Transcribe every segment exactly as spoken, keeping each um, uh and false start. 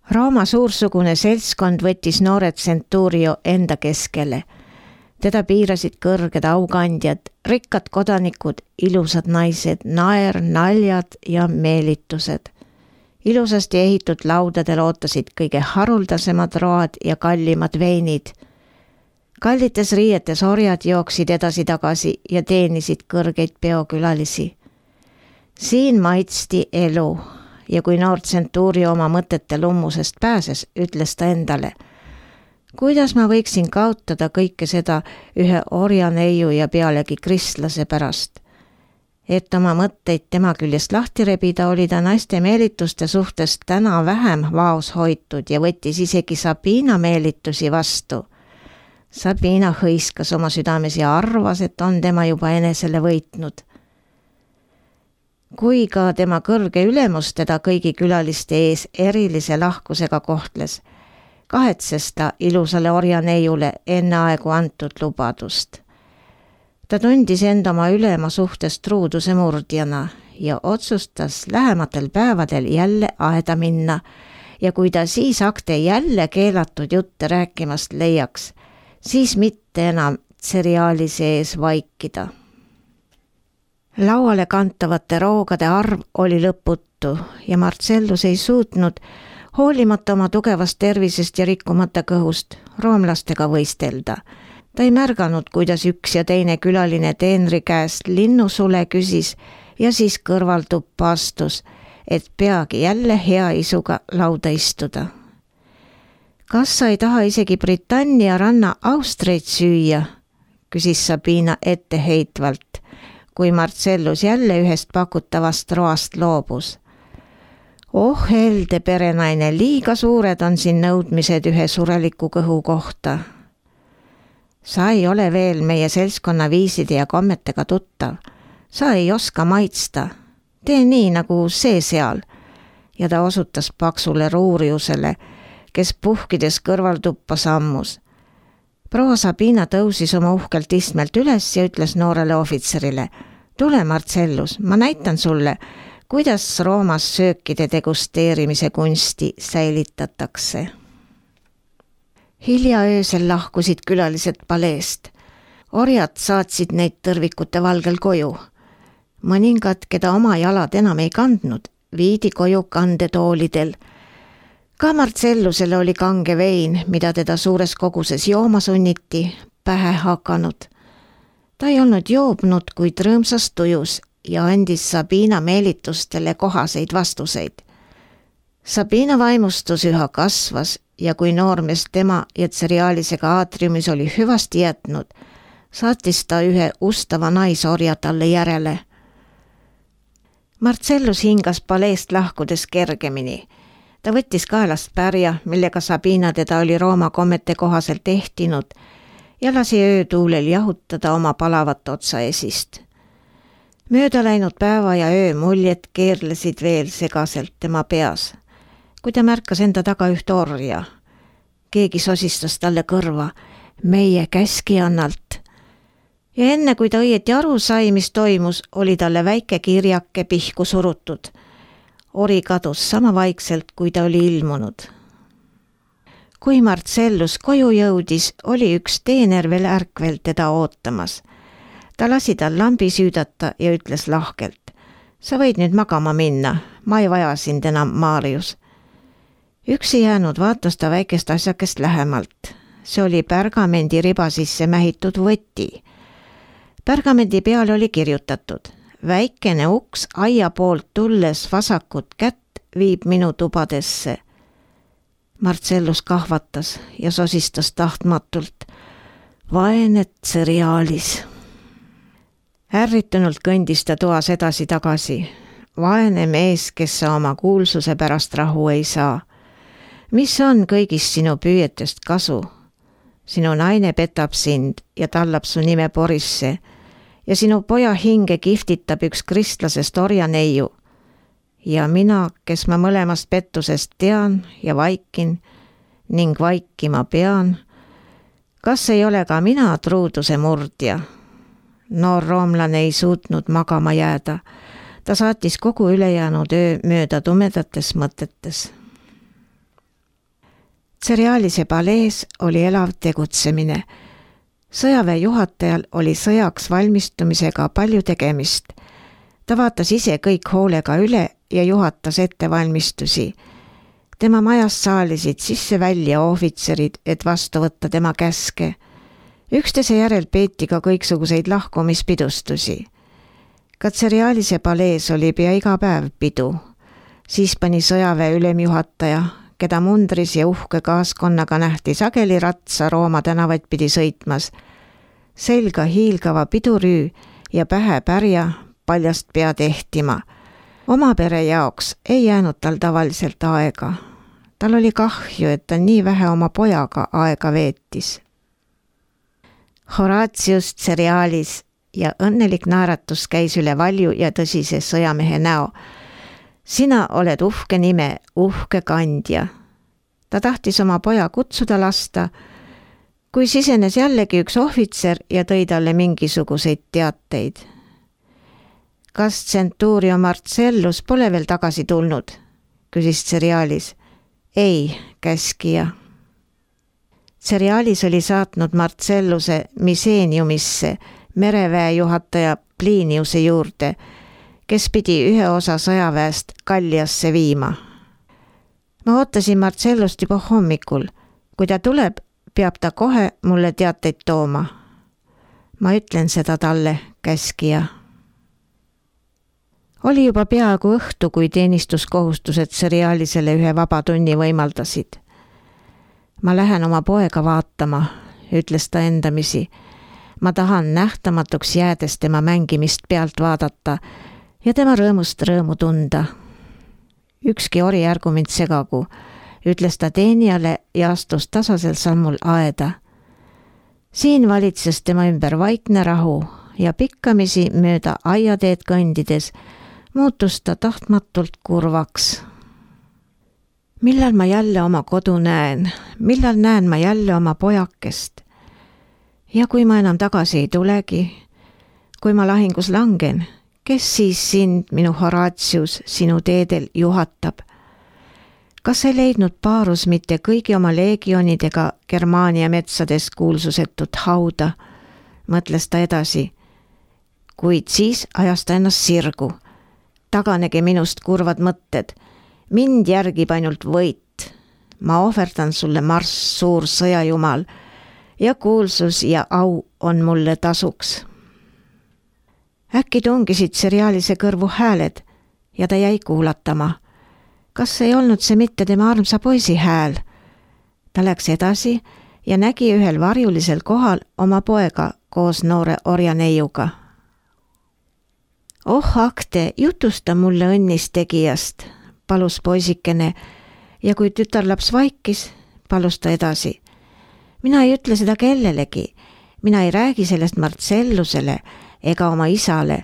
Rooma suursugune seltskond võttis noored Centurio enda keskele. Teda piirasid kõrged aukandjad, rikkad kodanikud, ilusad naised, naer, naljad ja meelitused. Ilusasti ehitud laudadel ootasid kõige haruldasemad road ja kallimad veinid. Kallites riietes orjad jooksid edasi-tagasi ja teenisid kõrgeid peokülalisi. Siin maitsti elu ja kui noor Centurio oma mõtete lummusest pääses, ütles ta endale: kuidas ma võiksin kaotada kõike seda ühe orjaneiu ja pealegi kristlase pärast? Et oma mõtteid tema küljest lahti rebida, oli ta naiste meelituste suhtes täna vähem vaos hoitud ja võttis isegi Sabina meelitusi vastu. Sabina hõiskas oma südames ja arvas, et on tema juba enesele võitnud. Kui ka tema kõrge ülemus teda kõigi külaliste ees erilise lahkusega kohtles, kahetses ta ilusale orjaneiule enne aegu antud lubadust. Ta tundis end oma ülema suhtes truuduse murdjana ja otsustas lähematel päevadel jälle aeda minna ja kui ta siis akte jälle keelatud jutte rääkimast leiaks, siis mitte enam tseriaali sees vaikida. Lauale kantavate roogade arv oli lõputu ja Marcellus ei suutnud, hoolimata oma tugevast tervisest ja rikkumata kõhust, roomlastega võistelda. Ta ei märganud, kuidas üks ja teine külaline teenri käest linnusule küsis ja siis kõrvaltuppa astus, et peagi jälle hea isuga lauda istuda. Kas sa ei taha isegi Britannia ranna austreid süüa, küsis Sabina etteheitvalt, kui Marcellus jälle ühest pakutavast roast loobus. Oh helde perenaine, liiga suured on siin nõudmised ühe sureliku kõhu kohta. Sa ei ole veel meie seltskonna viiside ja kommetega tuttav. Sa ei oska maitsta. Tee nii nagu see seal. Ja ta osutas paksule ruuriusele, kes puhkides kõrvaltuppa sammus. Proua Sabina tõusis oma uhkelt istmelt üles ja ütles noorele ohvitserile: tule Marcellus, ma näitan sulle, kuidas Roomas söökide degusteerimise kunsti säilitatakse. Hilja öösel lahkusid külalised paleest. Orjad saatsid neid tõrvikute valgel koju. Mõningad, keda oma jalad enam ei kandnud, viidi koju kandetoolidel. Ka Marcellusele oli kange vein, mida teda suures koguses jooma sunniti, pähe hakanud. Ta ei olnud joobnud, kuid rõõmsas tujus ja andis Sabina meelitustele kohaseid vastuseid. Sabina vaimustus üha kasvas ja kui noormees tema ja tseriaalisega aatriumis oli hüvasti jätnud, saatis ta ühe ustava naisorja talle järele. Marcellus hingas paleest lahkudes kergemini. Ta võttis kaelast pärja, millega Sabina teda oli Rooma kommete kohaselt ehtinud ja lasi öötuulel jahutada oma palavat otsaesist. Mööda läinud päeva ja öö muljed keerlesid veel segaselt tema peas, kui ta märkas enda taga ühte orja. Keegi sosistas talle kõrva: meie käskijannalt. Ja enne kui ta õieti aru sai, mis toimus, oli talle väike kirjake pihku surutud. Ori kadus sama vaikselt, kui ta oli ilmunud. Kui Marcellus koju jõudis, oli üks teener veel ärkvel teda ootamas. Ta lasi tal lambi süüdata ja ütles lahkelt: sa võid nüüd magama minna, ma ei vaja sind enam, Marius. Üksi jäänud vaatas ta väikest asjakest lähemalt. See oli pärgamendi riba sisse mähitud võti. Pärgamendi peale oli kirjutatud: väikene uks aia poolt tulles vasakut kätt viib minu tubadesse. Marcellus kahvatas ja sosistas tahtmatult: vaene tseriaalis. Ärritunult kõndis ta toas edasi tagasi. Vaene mees, kes sa oma kuulsuse pärast rahu ei saa. Mis on kõigist sinu püüetest kasu? Sinu naine petab sind ja tallab su nime porisse ja sinu poja hinge kihvtitab üks kristlasest orjaneiu. Ja mina, kes ma mõlemast pettusest tean ja vaikin ning vaikima pean, kas ei ole ka mina truuduse murdja? Noor roomlane ei suutnud magama jääda. Ta saatis kogu ülejäänud öö mööda tumedates mõtetes. Seriaalise palees oli elav tegutsemine. Sõjaväe juhatajal oli sõjaks valmistumisega palju tegemist. Ta vaatas ise kõik hoolega üle ja juhatas ettevalmistusi. Tema majast saalisid sisse välja ohvitserid, et vastu võtta tema käske. Üksteise järel peeti ka kõiksuguseid lahkumispidustusi. Ka Seriaalise palees oli pea iga päev pidu. Siis pani sõjaväe ülemjuhataja, keda mundris ja uhke kaaskonnaga nähti sageli ratsa Rooma tänavaid pidi sõitmas. Selga hiilgava pidurüü ja pähe pärja paljast pea tehtima. Oma pere jaoks ei jäänud tal tavaliselt aega. Tal oli kahju, et ta nii vähe oma pojaga aega veetis. Horatius Seriaalis ja õnnelik naeratus käis üle valju ja tõsise sõjamehe näo. Sina oled uhke nime, uhke kandja. Ta tahtis oma poja kutsuda lasta, kui sisenes jällegi üks ohvitser ja tõi talle mingisuguseid teateid. Kas Centurio Marcellus pole veel tagasi tulnud? Küsis Seriaalis. Ei, käskija. Seriaalis oli saatnud Marcelluse Miseeniumisse mereväe juhataja Pliniuse juurde, kes pidi ühe osa sõjaväest Galliasse viima. Ma ootasin Marcellust juba hommikul. Kui ta tuleb, peab ta kohe mulle teateid tooma. Ma ütlen seda talle, käskija. Oli juba peaaegu õhtu, kui teenistuskohustused Seriaalisele ühe vaba tunni võimaldasid. Ma lähen oma poega vaatama, ütles ta endamisi. Ma tahan nähtamatuks jäädes tema mängimist pealt vaadata ja tema rõõmust rõõmu tunda. Ükski ori ärgu mind segagu, ütles ta teenijale ja astus tasasel sammul aeda. Siin valitses tema ümber vaikne rahu ja pikkamisi mööda aiateed kõndides muutus ta tahtmatult kurvaks. Millal ma jälle oma kodu näen, millal näen ma jälle oma pojakest? Ja kui ma enam tagasi ei tulegi, kui ma lahingus langen, kes siis sind, minu Horatius, sinu teedel juhatab? Kas ei leidnud Paarus mitte kõigi oma leegionidega Germaania metsades kuulsusetut hauda? Mõtles ta edasi. Kuid siis ajas ta ennast sirgu. Taganegi minust kurvad mõtted. Mind järgib ainult võit. Ma ohverdan sulle Marss, suur sõjajumal, ja kuulsus ja au on mulle tasuks. Äkki tungisid Seriaalise kõrvu hääled ja ta jäi kuulatama. Kas ei olnud see mitte tema armsa poisi hääl? Ta läks edasi ja nägi ühel varjulisel kohal oma poega koos noore orjaneiuga. Oh, Akte, jutusta mulle õnnist tegijast, palus poisikene, ja kui tütarlaps vaikis, palus ta edasi. Mina ei ütle seda kellelegi, mina ei räägi sellest Marcellusele ega oma isale.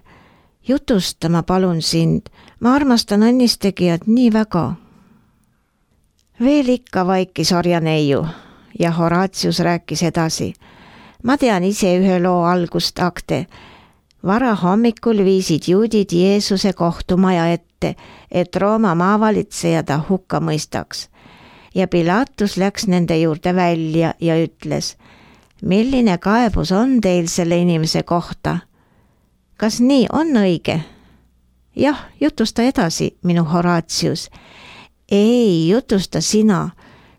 Jutusta ma palun sind, ma armastan õnnistegijat nii väga. Veel ikka vaikis orjaneiu ja Horatius rääkis edasi. Ma tean ise ühe loo algust, Akte. Vara hommikul viisid juudid Jeesuse kohtumaja ette, et Rooma maavalitseja ta hukka mõistaks. Ja Pilatus läks nende juurde välja ja ütles, milline kaebus on teil selle inimese kohta? Kas nii on õige? Jah, jutusta edasi, minu Horatius. Ei, jutusta sina.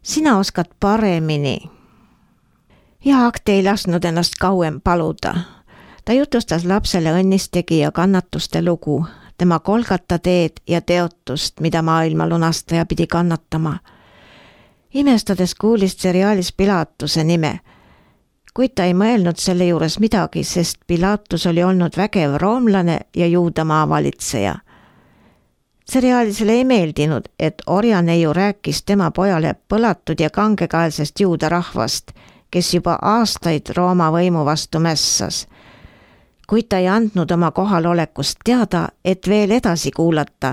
Sina oskad paremini. Ja Akte ei lasknud ennast kauem paluda. Ta jutustas lapsele õnnistegija kannatuste lugu, tema kolgata teed ja teotust, mida maailma lunastaja pidi kannatama. Imestades kuulis Seriaalis Pilatuse nime, kuid ta ei mõelnud selle juures midagi, sest Pilatus oli olnud vägev roomlane ja juudamaa valitseja. Seriaalisele ei meeldinud, et orjaneiu rääkis tema pojale põlatud ja kangekaelsest juuda rahvast, kes juba aastaid Rooma võimu vastu mässas. Kuid ta ei andnud oma kohalolekust teada, et veel edasi kuulata,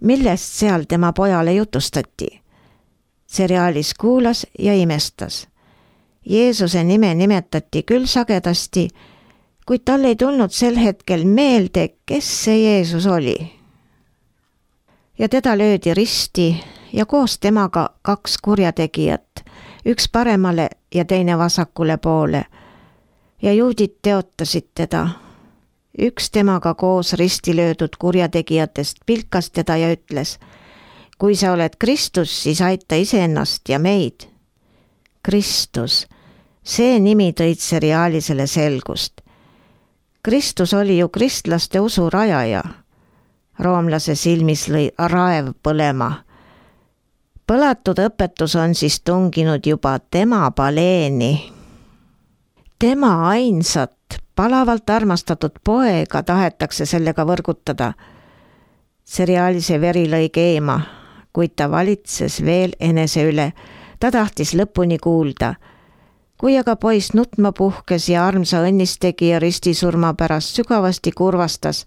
millest seal tema pojale jutustati. Seriaalis kuulas ja imestas. Jeesuse nime nimetati küll sagedasti, kuid tal ei tulnud sel hetkel meelde, kes see Jeesus oli. Ja teda löödi risti ja koos temaga kaks kurjategijat, üks paremale ja teine vasakule poole. Ja juudid teotasid teda. Üks temaga koos risti löödud kurjategijatest pilkas teda ja ütles: kui sa oled Kristus, siis aita iseennast ja meid. Kristus, see nimi tõid Seriaalisele selgust. Kristus oli ju kristlaste usu rajaja. Roomlase silmis lõi raev põlema. Põlatud õpetus on siis tunginud juba tema paleeni. Tema ainsat, palavalt armastatud poega tahetakse sellega võrgutada. Seriaalise veri lõi keema, kuid ta valitses veel enese üle. Ta tahtis lõpuni kuulda. Kui aga poiss nutma puhkes ja armsa õnnistegija ristisurma pärast sügavasti kurvastas,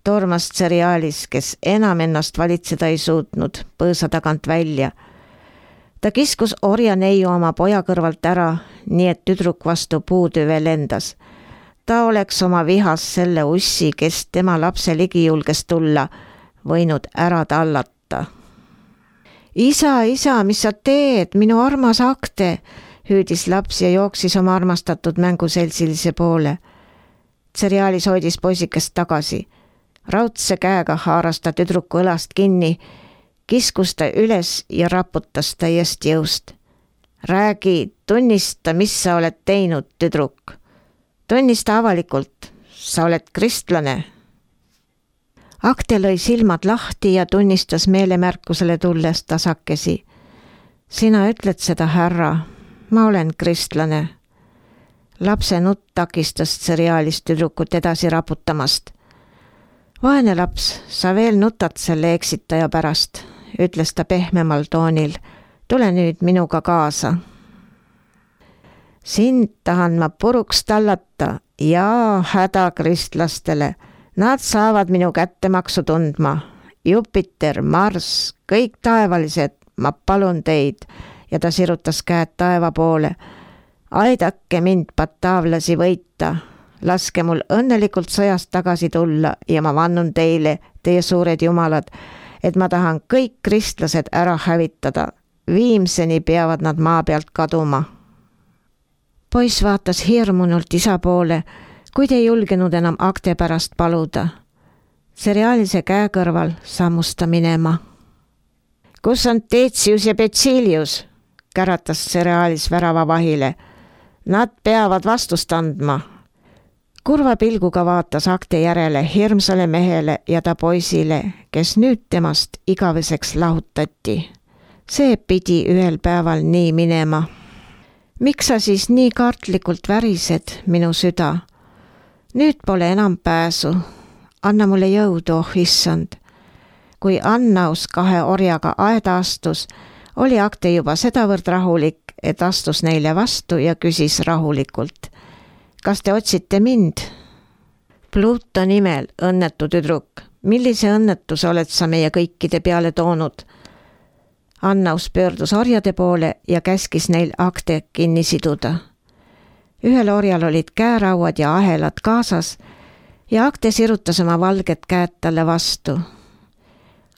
tormas Seriaalis, kes enam ennast valitseda ei suutnud, põõsa tagant välja. Ta kiskus orja neiu oma poja kõrvalt ära, nii et tüdruk vastu puutüve lendas. Ta oleks oma vihas selle ussi, kes tema lapse ligi julges tulla, võinud ära tallata. Isa, isa, mis sa teed, minu armas Akte, hüüdis laps ja jooksis oma armastatud mänguseltsilise poole. Seriaalis hoidis poisikest tagasi. Raudse käega haaras ta tüdruku õlast kinni, kiskus ta üles ja raputas täiesti jõust. Räägi, tunnista, mis sa oled teinud, tüdruk. Tunnista avalikult, sa oled kristlane. Akte lõi silmad lahti ja tunnistas meelemärkusele tulles tasakesi. Sina ütled seda, härra, ma olen kristlane. Lapse nutt takistas Seriaalis tüdrukut edasi raputamast. Vaene laps, sa veel nutad selle eksitaja pärast, ütles ta pehmemal toonil. Tule nüüd minuga kaasa. Sind tahan ma puruks tallata ja häda kristlastele. Nad saavad minu kättemaksu tundma. Jupiter, Mars, kõik taevalised, ma palun teid. Ja ta sirutas käed taeva poole. Aidake mind bataavlasi võita. Laske mul õnnelikult sõjast tagasi tulla ja ma vannun teile, teie suured jumalad, et ma tahan kõik kristlased ära hävitada. Viimseni peavad nad maa pealt kaduma. Poiss vaatas hirmunult isa poole, kuid ei julgenud enam Akte pärast paluda. Seriaalise käe kõrval sammus ta minema. Kus on Teetsius ja Betsilius? Käratas Seriaalis värava vahile. Nad peavad vastust andma. Kurva pilguga vaatas Akte järele hirmsale mehele ja ta poisile, kes nüüd temast igaveseks lahutati. See pidi ühel päeval nii minema. Miks sa siis nii kartlikult värised, minu süda? Nüüd pole enam pääsu. Anna mulle jõudu, oh issand. Kui Annaus kahe orjaga aeda astus, oli Akte juba sedavõrd rahulik, et astus neile vastu ja küsis rahulikult. Kas te otsite mind? Pluto nimel, õnnetu tüdruk, millise õnnetuse oled sa meie kõikide peale toonud? Annaus pöördus orjade poole ja käskis neil Akte kinni siduda. Ühel orjal olid käerauad ja ahelad kaasas ja Akte sirutas oma valged käed talle vastu.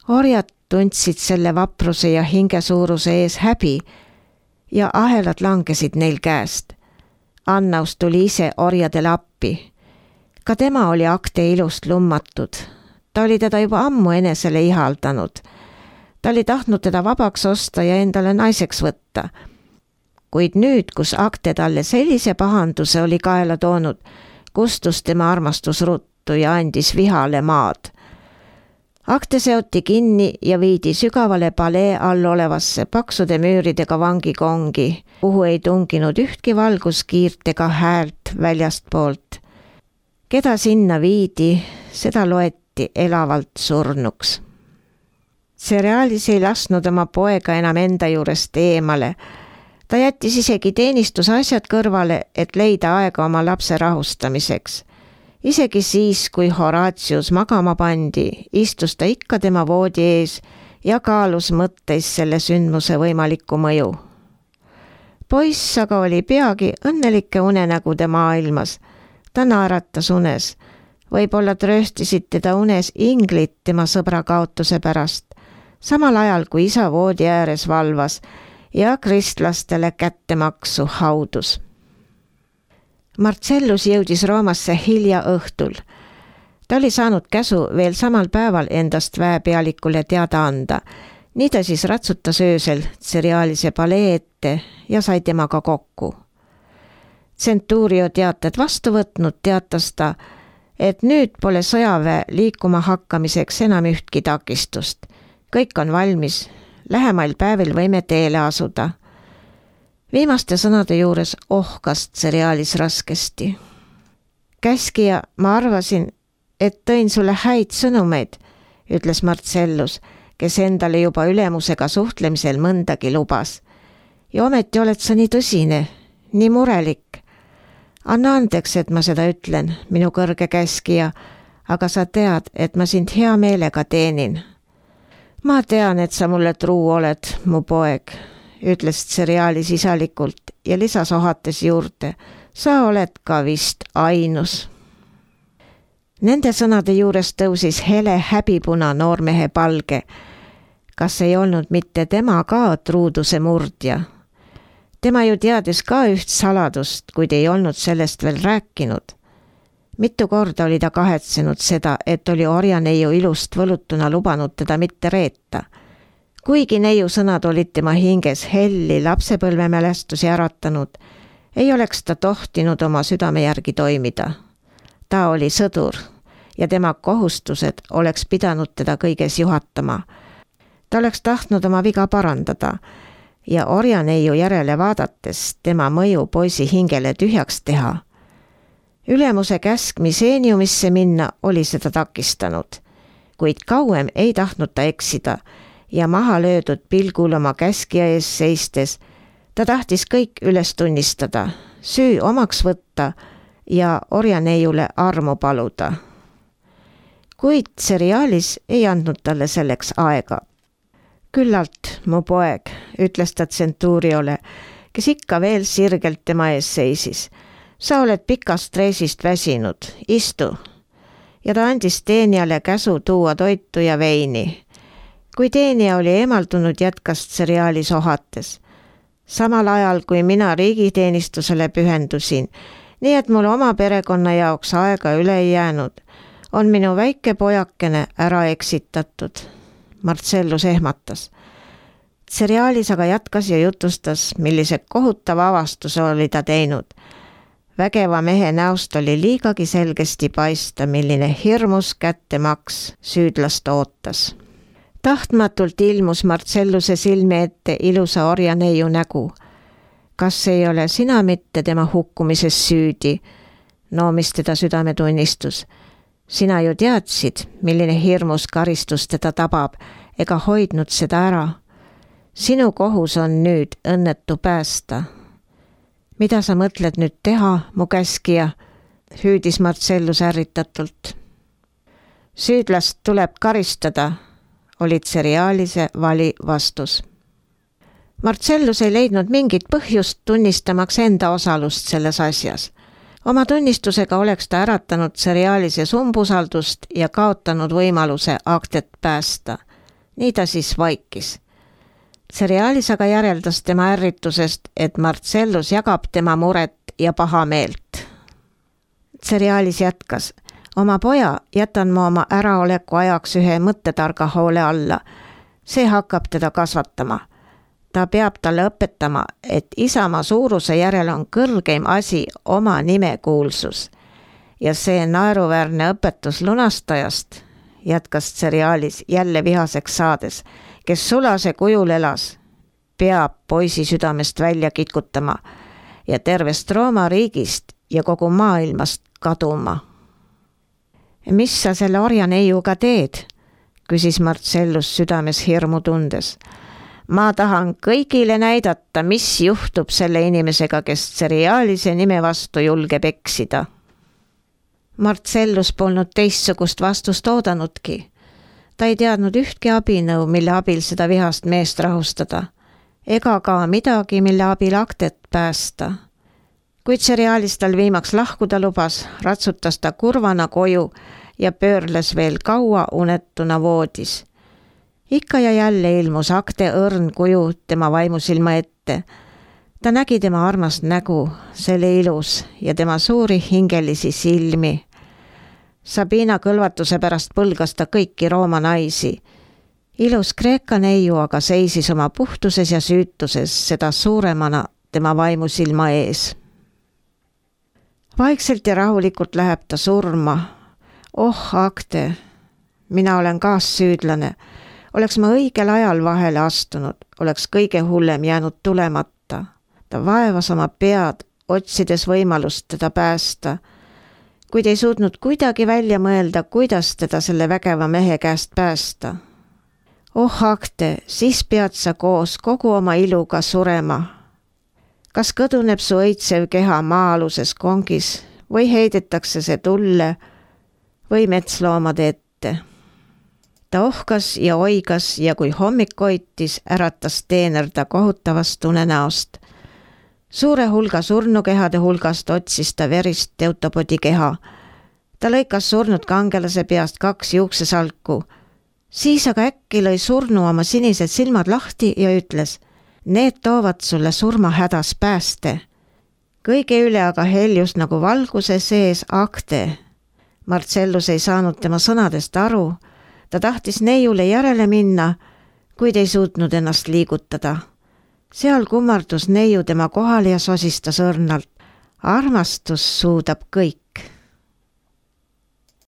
Orjad tundsid selle vapruse ja hingesuuruse ees häbi ja ahelad langesid neil käest. Annaus tuli ise orjadele appi. Ka tema oli Akte ilust lummatud. Ta oli teda juba ammu enesele ihaldanud. Ta oli tahtnud teda vabaks osta ja endale naiseks võtta. Kuid nüüd, kus Akte talle sellise pahanduse oli kaela toonud, kustus tema armastus ruttu ja andis vihale maad. Akte seoti kinni ja viidi sügavale palee all olevasse paksude müüridega vangikongi, kuhu ei tunginud ühtki valguskiirt ega häält väljast poolt. Keda sinna viidi, seda loeti elavalt surnuks. Seriaalis ei lasnud oma poega enam enda juurest eemale. Ta jättis isegi teenistusasjad kõrvale, et leida aega oma lapse rahustamiseks. Isegi siis, kui Horatius magama pandi, istus ta ikka tema voodi ees ja kaalus mõtteis selle sündmuse võimalikku mõju. Poiss aga oli peagi õnnelike unenägude maailmas. Ta naeratas unes. Võib-olla trööstisid teda unes inglid tema sõbra kaotuse pärast, samal ajal kui isa voodi ääres valvas ja kristlastele kättemaksu haudus. Marcellus jõudis Roomasse hilja õhtul. Ta oli saanud käsu veel samal päeval endast väepealikule teada anda. Nii ta siis ratsutas öösel Tserialise palee ette ja sai temaga kokku. Centurio teated vastu võtnud, teatas ta, et nüüd pole sõjaväe liikuma hakkamiseks enam ühtki takistust. Kõik on valmis, lähemail päevil võime teele asuda. Viimaste sõnade juures ohkas Tserialis raskesti. Käskija, ma arvasin, et tõin sulle häid sõnumeid, ütles Marcellus, kes endale juba ülemusega suhtlemisel mõndagi lubas. Ja ometi oled sa nii tõsine, nii murelik. Anna andeks, et ma seda ütlen, minu kõrge käskija, aga sa tead, et ma sind hea meelega teenin. Ma tean, et sa mulle truu oled, mu poeg, ütles Tserialis isalikult ja lisas ohates juurde. Sa oled ka vist ainus. Nende sõnade juures tõusis hele häbipuna noormehe palge. Kas ei olnud mitte tema ka truuduse murdja? Tema ju teadis ka üht saladust, kuid ei olnud sellest veel rääkinud. Mitu korda oli ta kahetsenud seda, et oli orjaneiu ilust võlutuna lubanud teda mitte reeta. Kuigi neiu sõnad olid tema hinges helli lapsepõlvemälestusi äratanud, ei oleks ta tohtinud oma südame järgi toimida. Ta oli sõdur ja tema kohustused oleks pidanud teda kõiges juhatama. Ta oleks tahtnud oma viga parandada ja orjaneiu järele vaadates tema mõju poisi hingele tühjaks teha. Ülemuse käsk Miseeniumisse minna oli seda takistanud, kuid kauem ei tahtnud ta eksida ja maha löödud pilgul oma käskija ees seistes ta tahtis kõik üles tunnistada, süü omaks võtta ja orjaneiule armu paluda. Kuid Tserialis ei andnud talle selleks aega. Küllalt, mu poeg, ütles ta Centuriole, kes ikka veel sirgelt tema ees seisis. Sa oled pikast reisist väsinud, istu. Ja ta andis teenijale käsu tuua toitu ja veini. Kui teenija oli eemaldunud, jätkas Tserialis ohates. Samal ajal, kui mina riigiteenistusele pühendusin, nii et mul oma perekonna jaoks aega üle ei jäänud, on minu väike pojakene ära eksitatud. Marcellus ehmatas. Tserialis aga jätkas ja jutustas, millise kohutava avastuse oli ta teinud. Vägeva mehe näost oli liigagi selgesti paista, milline hirmus kättemaks süüdlast ootas. Tahtmatult ilmus Marcelluse silme ette ilusa orjaneiu nägu. Kas ei ole sina mitte tema hukkumises süüdi? Noomis teda südametunnistus. Sina ju teadsid, milline hirmus karistus teda tabab, ega hoidnud seda ära. Sinu kohus on nüüd õnnetu päästa. Mida sa mõtled nüüd teha, mu käskija? Hüüdis Marcellus ärritatult. Süüdlast tuleb karistada, oli Tserialise vali vastus. Marcellus ei leidnud mingit põhjust tunnistamaks enda osalust selles asjas. Oma tunnistusega oleks ta äratanud Tserialises umbusaldust ja kaotanud võimaluse aktet päästa. Nii ta siis vaikis. Tserialis aga järeldas tema ärritusest, et Marcellus jagab tema muret ja paha meelt. Tserialis jätkas. Oma poja jätan ma oma äraoleku ajaks ühe mõttetarga hoole alla. See hakkab teda kasvatama. Ta peab talle õpetama, et isamaa suuruse järel on kõrgeim asi oma nimekuulsus. Ja see naeruväärne õpetus lunastajast, jätkas Tserialis jälle vihaseks saades, kes sulase kujul elas, peab poisi südamest välja kitkutama ja tervest Rooma riigist ja kogu maailmast kaduma. Mis sa selle orjaneiuga teed? Küsis Marcellus südames hirmu tundes. Ma tahan kõigile näidata, mis juhtub selle inimesega, kes Tserialise nime vastu julgeb eksida. Marcellus polnud teistsugust vastust oodanudki. Ta ei teadnud ühtki abinõu, mille abil seda vihast meest rahustada, ega ka midagi, mille abil aktet päästa. Kui Tserialis tal viimaks lahkuda lubas, ratsutas ta kurvana koju ja pöörles veel kaua unetuna voodis. Ikka ja jälle ilmus Agde õrn kuju tema vaimusilma ette. Ta nägi tema armast nägu, selle ilus ja tema suuri hingelisi silmi. Sabina kõlvatuse pärast põlgas ta kõiki Rooma naisi. Ilus Kreeka neiu aga seisis oma puhtuses ja süütuses seda suuremana tema vaimusilma ees. Vaikselt ja rahulikult läheb ta surma. Oh, Agde, mina olen kaassüüdlane. Oleks ma õigel ajal vahele astunud, oleks kõige hullem jäänud tulemata. Ta vaevas oma pead, otsides võimalust teda päästa, kuid ei suutnud kuidagi välja mõelda, kuidas teda selle vägeva mehe käest päästa. Oh, Agde, siis pead sa koos kogu oma iluga surema. Kas kõduneb su õitsev keha maa-aluses kongis või heidetakse see tulle või metsloomade ette? Ta ohkas ja oigas ja kui hommik koitis, äratas teener ta kohutavast unenäost. Suure hulga surnukehade hulgast otsis ta verist Teutopodi keha. Ta lõikas surnud kangelase peast kaks juuksesalku. Siis aga äkki lõi surnu oma sinised silmad lahti ja ütles, need toovad sulle surmahädas pääste. Kõige üle aga heljus nagu valguse sees Agde. Marcellus ei saanud tema sõnadest aru. Ta tahtis neiule järele minna, kuid ei suutnud ennast liigutada. Seal kummardus neiu tema kohal ja sosistas õrnalt. Armastus suudab kõik.